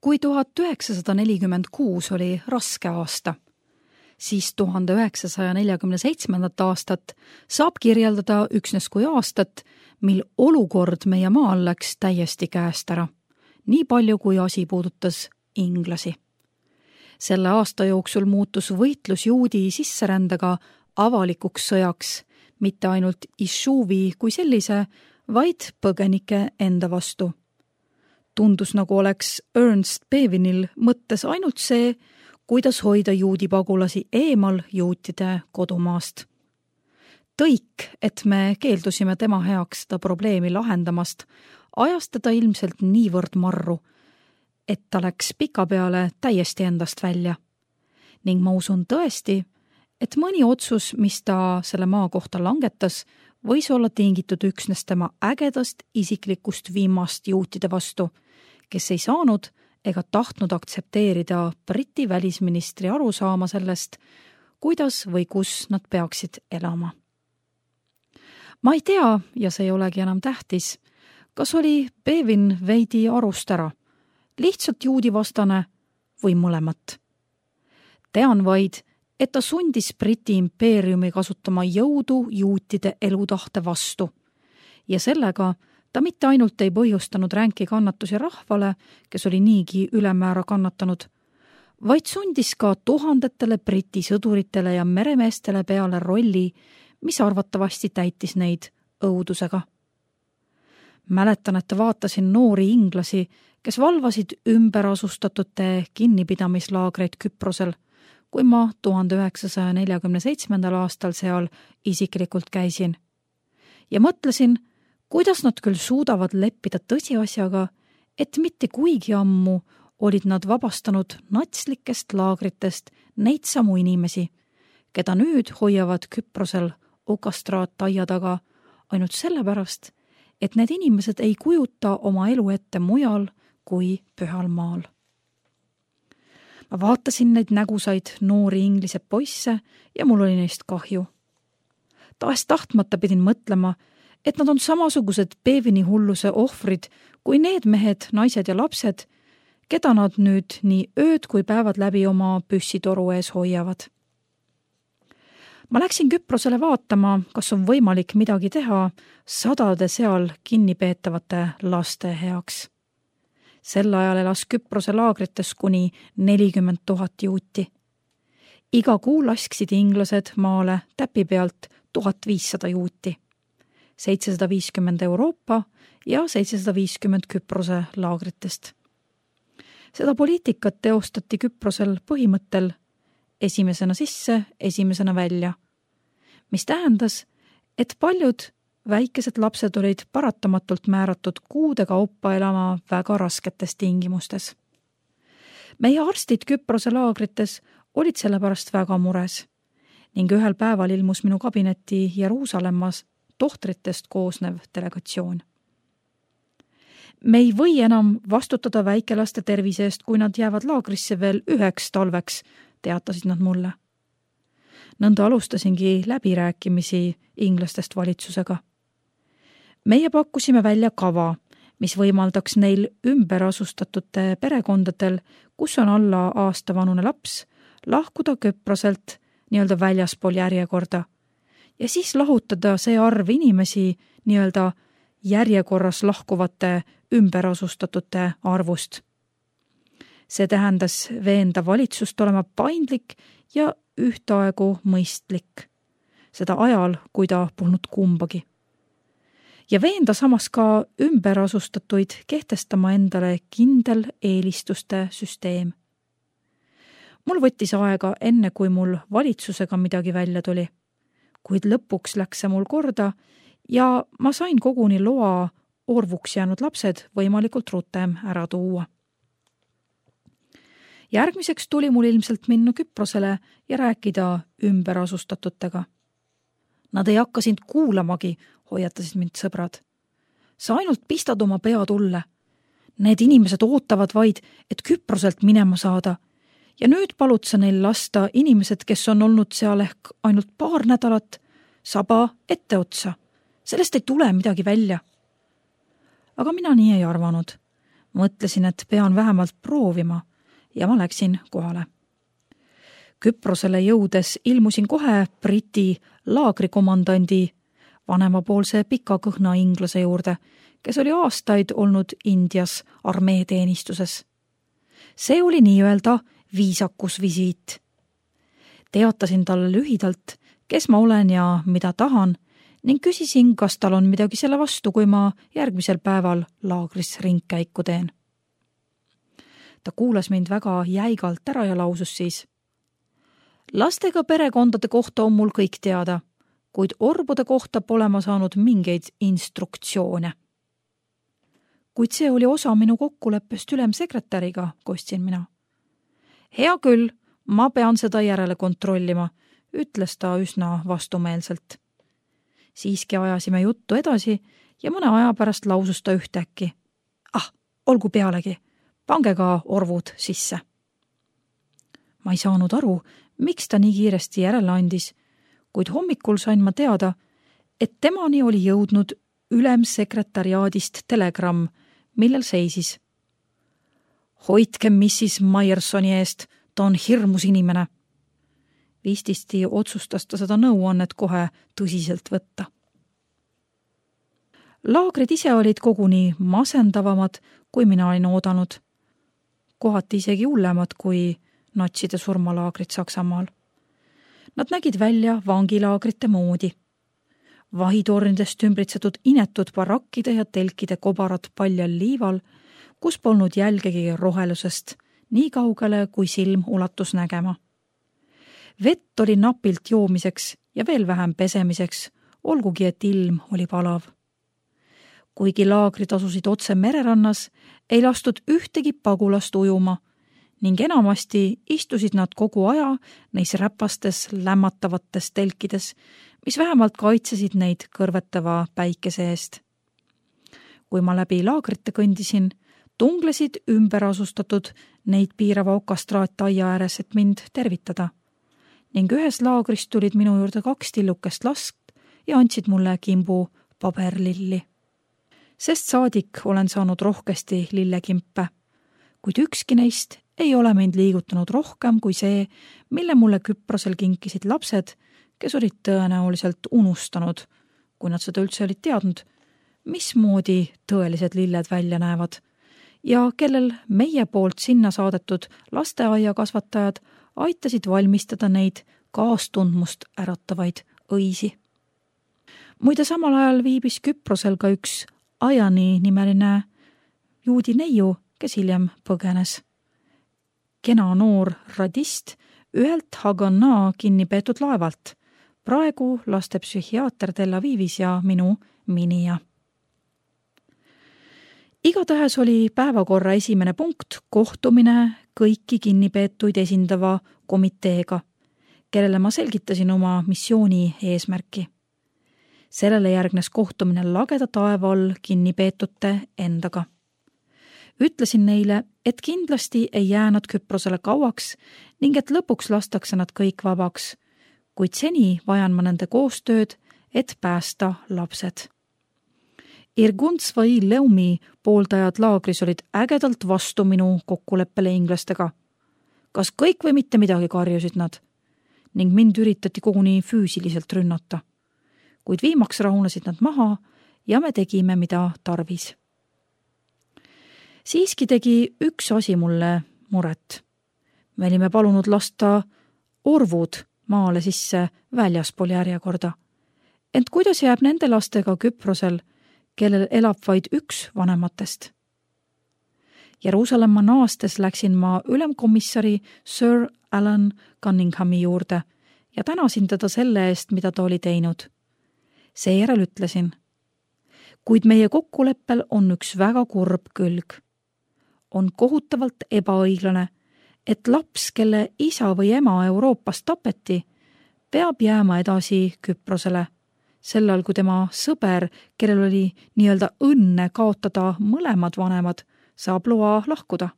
Kui 1946 oli raske aasta, siis 1947. aastat saab kirjeldada üksnes kui aastat, mil olukord meie maal läks täiesti käest ära, nii palju kui asi puudutas inglasi. Selle aasta jooksul muutus võitlus juudi sisserändega avalikuks sõjaks, mitte ainult Išuvi kui sellise, vaid põgenike enda vastu. Tundus nagu oleks Ernst Bevinil mõttes ainult see, kuidas hoida juudi pagulasi eemal juutide kodumaast. Tõik, et me keeldusime tema heaks seda probleemi lahendamast, ajas teda ilmselt niivõrd marru, et ta läks pikapeale täiesti endast välja. Ning ma usun tõesti, et mõni otsus, mis ta selle maa kohta langetas, võis olla tingitud üksnes tema ägedast isiklikust viimast juutide vastu, kes ei saanud ega tahtnud aktsepteerida Briti välisministri arusaama sellest, kuidas või kus nad peaksid elama. Ma ei tea, ja see ei olegi enam tähtis, kas oli Bevin veidi arust ära, lihtsalt juudivastane või mõlemat. Tean vaid, et ta sundis Briti impeeriumi kasutama jõudu juutide elutahte vastu ja sellega ta mitte ainult ei põhjustanud ränki kannatusi rahvale, kes oli niigi ülemäära kannatanud, vaid sundis ka tuhandetele Briti sõduritele ja meremeestele peale rolli, mis arvatavasti täitis neid õudusega. Mäletan, et vaatasin noori inglasi, kes valvasid ümberasustatute kinnipidamislaagreid Küprosel, kui ma 1947. aastal seal isiklikult käisin. Ja mõtlesin, kuidas nad küll suudavad leppida tõsiasjaga, et mitte kuigi ammu olid nad vabastanud natslikest laagritest neid samu inimesi, keda nüüd hoiavad Küprosel okastraat aia taga ainult sellepärast, et need inimesed ei kujuta oma elu ette mujal kui pühal maal. Ma vaatasin neid nägusaid noori inglise poisse ja mul oli neist kahju. Tahes tahtmata pidin mõtlema, et nad on samasugused Bevini hulluse ohvrid kui need mehed, naised ja lapsed, keda nad nüüd nii ööd kui päevad läbi oma püssitoru ees hoiavad. Ma läksin Küprosele vaatama, kas on võimalik midagi teha sadade seal kinnipeetavate laste heaks. Sel ajal elas Küprose laagrites kuni 40 000 juuti. Iga kuu lasksid inglased maale täpi pealt 1500 juuti. 750 Euroopa ja 750 Küprose laagritest. Seda poliitikat teostati Küprosel põhimõttel esimesena sisse, esimesena välja, mis tähendas, et paljud väikesed lapsed olid paratamatult määratud kuude kaupa elama väga rasketes tingimustes. Meie arstid Küprose laagrites olid sellepärast väga mures ning ühel päeval ilmus minu kabinetti Jeruusalemmas tohtritest koosnev delegatsioon. Me ei või enam vastutada väikelaste tervise eest, kui nad jäävad laagrisse veel 1 talveks, teatasid nad mulle. Nõnda alustasingi läbirääkimisi inglastest valitsusega. Meie pakkusime välja kava, mis võimaldaks neil ümberasustatute perekondadel, kus on alla aastavanune laps, lahkuda Küproselt nii-öelda väljaspool järjekorda ja siis lahutada see arv inimesi nii-öelda järjekorras lahkuvate ümberasustatute arvust. See tähendas veenda valitsust olema paindlik ja ühtaegu mõistlik, seda ajal, kui ta polnud kumbagi. Ja veenda samas ka ümberasustatuid kehtestama endale kindel eelistuste süsteem. Mul võttis aega enne, kui mul valitsusega midagi välja tuli, kuid lõpuks läks see mul korda ja ma sain koguni loa orvuks jäänud lapsed võimalikult rutem ära tuua. Järgmiseks tuli mul ilmselt minna Küprosele ja rääkida ümberasustatutega. Nad ei hakka sind kuulamagi, hoiatasid mind sõbrad. Sa ainult pistad oma pea tulle. Need inimesed ootavad vaid, et Küproselt minema saada. Ja nüüd palud sa neil lasta inimesed, kes on olnud seal ehk ainult paar nädalat, saba etteotsa. Sellest ei tule midagi välja. Aga mina nii ei arvanud. Mõtlesin, et pean vähemalt proovima ja ma läksin kohale. Küprosele jõudes ilmusin kohe Briti laagrikomandandi vanemapoolse pika kõhna inglase juurde, kes oli aastaid olnud Indias armeeteenistuses. See oli nii-öelda viisakusvisiit. Teatasin talle lühidalt, kes ma olen ja mida tahan, ning küsisin, kas tal on midagi selle vastu, kui ma järgmisel päeval laagris ringkäiku teen. Ta kuulas mind väga jäigalt ära ja lausus siis: lastega perekondade kohta on mul kõik teada, kuid orbude kohta pole ma saanud mingeid instruktsioone. Kuid see oli osa minu kokkuleppest ülemsekretäriga, kostsin mina. Hea küll, ma pean seda järele kontrollima, ütles ta üsna vastumeelselt. Siiski ajasime juttu edasi ja mõne aja pärast lausus ta ühtäkki: olgu pealegi, pange ka orvud sisse. Ma ei saanud aru, miks ta nii kiiresti järele andis, kuid hommikul sain ma teada, et temani oli jõudnud ülemsekretariaadist telegramm, millel seisis: hoidke Mrs. Myersoni eest, ta on hirmus inimene. Vististi otsustas ta seda nõuannet kohe tõsiselt võtta. Laagrid ise olid koguni masendavamad, kui mina olin oodanud. Kohati isegi hullemad kui natside surmalaagrid Saksamaal. Nad nägid välja vangilaagrite moodi. Vahitornidest ümbritsetud inetud barakkide ja telkide kobarad paljal liival, kus polnud jälgegi rohelusest, nii kaugele kui silm ulatus nägema. Vett oli napilt joomiseks ja veel vähem pesemiseks, olgugi et ilm oli palav. Kuigi laagrid asusid otse mererannas, ei lastud ühtegi pagulast ujuma ning enamasti istusid nad kogu aja neis räpastes lämmatavates telkides, mis vähemalt kaitsesid neid kõrvetava päikese eest. Kui ma läbi laagrite kõndisin, tunglesid ümberasustatud neid piirava okastraattaia ääres, et mind tervitada. Ning ühes laagrist tulid minu juurde 2 tillukest last ja andsid mulle kimbu paberlilli. Sest saadik olen saanud rohkesti lillekimpe, kuid ükski neist ei ole mind liigutanud rohkem kui see, mille mulle Küprosel kinkisid lapsed, kes olid tõenäoliselt unustanud, kui nad seda üldse olid teadnud, mismoodi tõelised lilled välja näevad ja kellel meie poolt sinna saadetud lasteaiakasvatajad aitasid valmistada neid kaastundmust äratavaid õisi. Muide, samal ajal viibis Küprosel ka üks Ajani nimeline juudi neiu, kes hiljem põgenes. Kena noor radist ühelt Haganaa kinni peetud laevalt, praegu lastepsühhiaater Tel Avivis ja minu minija. Igatahes oli päevakorra esimene punkt kohtumine kõiki kinnipeetuid esindava komiteega, kellele ma selgitasin oma missiooni eesmärki. Sellele järgnes kohtumine lageda taeva all kinnipeetute endaga. Ütlesin neile, et kindlasti ei jää nad Küprosele kauaks ning et lõpuks lastakse nad kõik vabaks, kuid seni vajan ma nende koostööd, et päästa lapsed. Irgun Svai Leumi pooldajad laagris olid ägedalt vastu minu kokkuleppele inglastega. Kas kõik või mitte midagi, karjusid nad, ning mind üritati koguni füüsiliselt rünnata. Kuid viimaks rahunesid nad maha ja me tegime, mida tarvis. Siiski tegi üks asi mulle muret. Me olime palunud lasta orvud maale sisse väljaspool järjekorda. Ent kuidas jääb nende lastega Küprosel, kellel elab vaid üks vanematest? Jeruusalemma naastes läksin ma ülemkomissari Sir Alan Cunninghami juurde ja tänasin teda selle eest, mida ta oli teinud. Seejärel ütlesin: kuid meie kokkuleppel on üks väga kurb külg. On kohutavalt ebaõiglane, et laps, kelle isa või ema Euroopas tapeti, peab jääma edasi Küprosele, sellal kui tema sõber, kellel oli nii-öelda õnne kaotada mõlemad vanemad, saab loa lahkuda.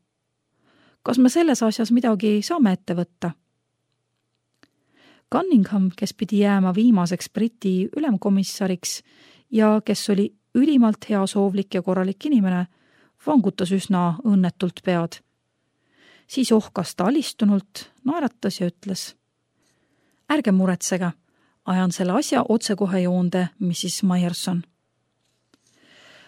Kas me selles asjas midagi saame ette võtta? Cunningham, kes pidi jääma viimaseks Briti ülemkomissariks ja kes oli ülimalt heasoovlik ja korralik inimene, vangutas üsna õnnetult pead. Siis ohkas ta alistunult, naeratas ja ütles: ärge muretsege, ajan selle asja otsekohe joonde, Mrs. Myerson.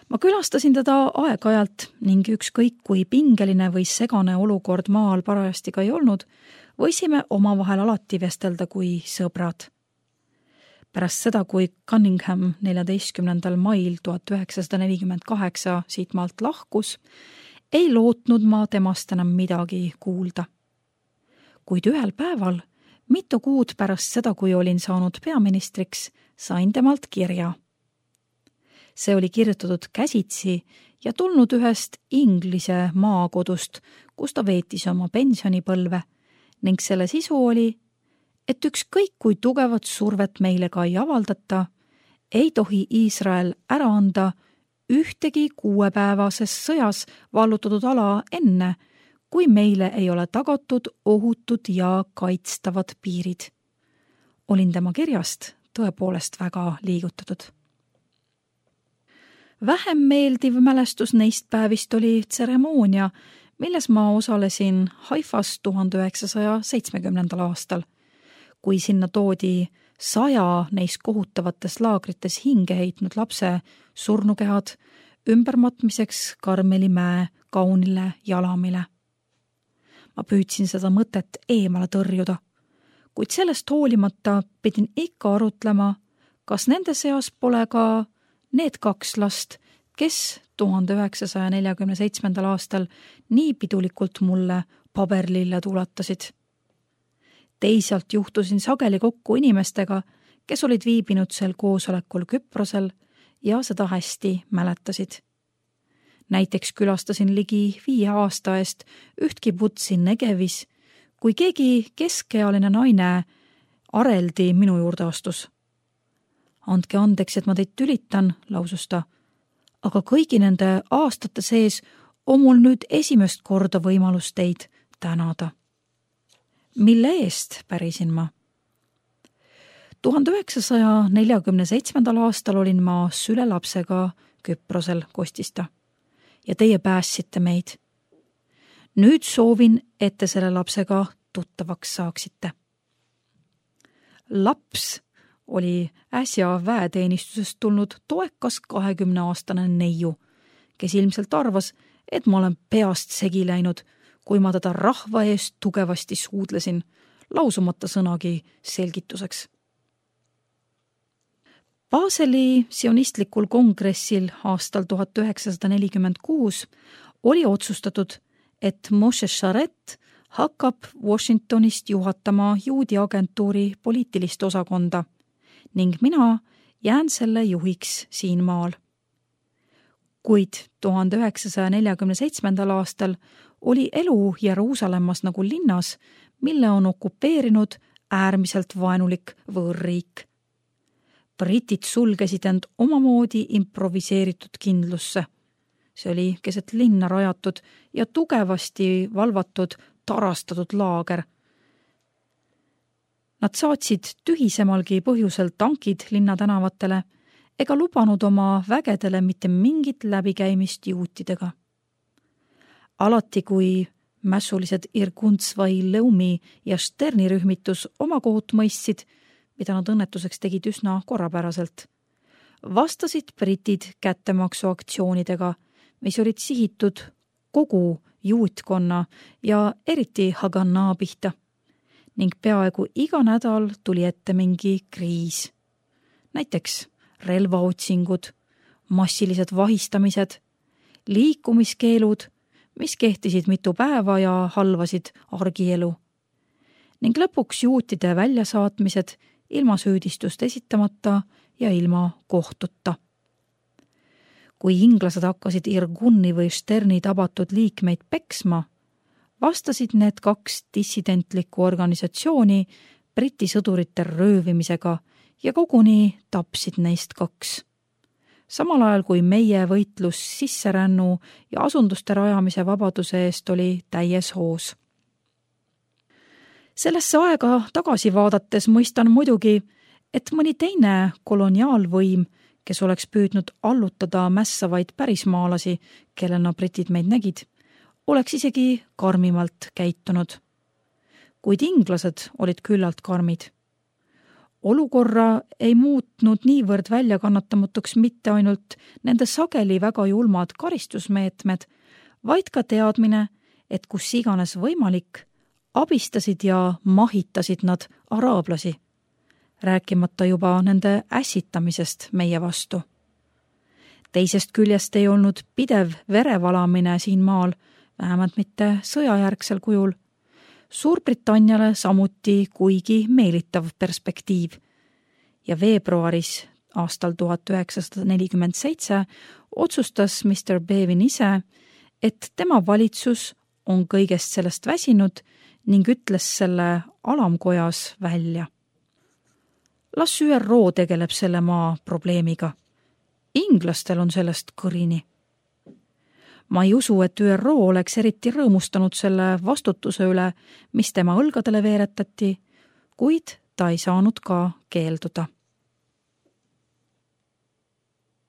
Ma külastasin teda aeg-ajalt ning ükskõik kui pingeline või segane olukord maal parajasti ka ei olnud, võisime omavahel alati vestelda kui sõbrad. Pärast seda, kui Cunningham 14. mail 1948 siit maalt lahkus, ei lootnud ma temast enam midagi kuulda. Kuid ühel päeval, mitu kuud pärast seda, kui olin saanud peaministriks, sain temalt kirja. See oli kirjutatud käsitsi ja tulnud ühest Inglise maakodust, kus ta veetis oma pensionipõlve, ning selle sisu oli, et ükskõik kui tugevat survet meile ka ei avaldata, ei tohi Iisrael ära anda ühtegi 6-päevases sõjas vallutatud ala enne, kui meile ei ole tagatud ohutud ja kaitstavad piirid. Olin tema kirjast tõepoolest väga liigutatud. Vähem meeldiv mälestus neist päevist oli tseremoonia, milles ma osalesin Haifas 1970. aastal, kui sinna toodi 100 neis kohutavates laagrites hinge heitnud lapse surnukehad ümbermatmiseks Karmeli mäe kaunile jalamile. Ma püüdsin seda mõtet eemale tõrjuda, kuid sellest hoolimata pidin ikka arutlema, kas nende seas pole ka need 2 last, kes 1947. aastal nii pidulikult mulle paberlille tulatasid. Teisalt juhtusin sageli kokku inimestega, kes olid viibinud sel koosolekul Küprosel ja seda hästi mäletasid. Näiteks külastasin ligi 5 aasta eest üht kibutsi Negevis, kui keegi keskealine naine areldi minu juurde astus. Andke andeks, et ma teid tülitan, lausus ta, aga kõigi nende aastate sees on mul nüüd esimest korda võimalus teid tänada. Mille eest, pärisin ma? 1947. aastal olin ma sülelapsega Küprosel, kostis ta, ja teie päässite meid. Nüüd soovin, et te selle lapsega tuttavaks saaksite. Laps oli äsja väeteenistusest tulnud toekas 20-aastane neiu, kes ilmselt arvas, et ma olen peast segi läinud, kui ma teda rahva eest tugevasti suudlesin, lausumata sõnagi selgituseks. Baseli sionistlikul kongressil aastal 1946 oli otsustatud, et Moshe Sharet hakkab Washingtonist juhatama juudi agentuuri poliitilist osakonda ning mina jään selle juhiks siin maal. Kuid 1947. aastal oli elu Jeruusalemmas nagu linnas, mille on okupeerinud äärmiselt vaenulik võõrriik. Britid sulgesid end omamoodi improviseeritud kindlusse. See oli keset linna rajatud ja tugevasti valvatud tarastatud laager. Nad saatsid tühisemalgi põhjusel tankid linnatänavatele ega lubanud oma vägedele mitte mingit läbikäimist juutidega. Alati, kui mässulised Irguntsvai, Leumi ja Sterni rühmitus oma kohut mõistsid, mida nad õnnetuseks tegid üsna korrapäraselt, vastasid britid kättemaksuaktsioonidega, mis olid sihitud kogu juutkonna ja eriti Haganaa pihta, ning peaaegu iga nädal tuli ette mingi kriis. Näiteks relvaotsingud, massilised vahistamised, liikumiskeelud, mis kehtisid mitu päeva ja halvasid argielu, ning lõpuks juutide väljasaatmised ilma süüdistust esitamata ja ilma kohtuta. Kui inglased hakkasid Irguni või Sterni tabatud liikmeid peksma, vastasid need 2 dissidentlikku organisatsiooni Briti sõdurite röövimisega ja koguni tapsid neist 2. Samal ajal kui meie võitlus sisserännu ja asunduste rajamise vabaduse eest oli täies hoos. Sellesse aega tagasi vaadates mõistan muidugi, et mõni teine koloniaalvõim, kes oleks püüdnud allutada mässavaid pärismaalasi, kellena britid meid nägid, oleks isegi karmimalt käitunud. Kuid inglased olid küllalt karmid. Olukorra ei muutnud niivõrd väljakannatamatuks mitte ainult nende sageli väga julmad karistusmeetmed, vaid ka teadmine, et kus iganes võimalik, abistasid ja mahitasid nad araablasi, rääkimata juba nende ässitamisest meie vastu. Teisest küljest ei olnud pidev verevalamine siin maal, vähemalt mitte sõjajärgsel kujul, Suurbritanniale samuti kuigi meelitav perspektiiv ja veebruaris aastal 1947 otsustas Mr. Bevin ise, et tema valitsus on kõigest sellest väsinud ning ütles selle alamkojas välja. Las ÜRO tegeleb selle maa probleemiga. Inglastel on sellest kõrini. Ma ei usu, et ÜRO oleks eriti rõõmustanud selle vastutuse üle, mis tema õlgadele veeretati, kuid ta ei saanud ka keelduda.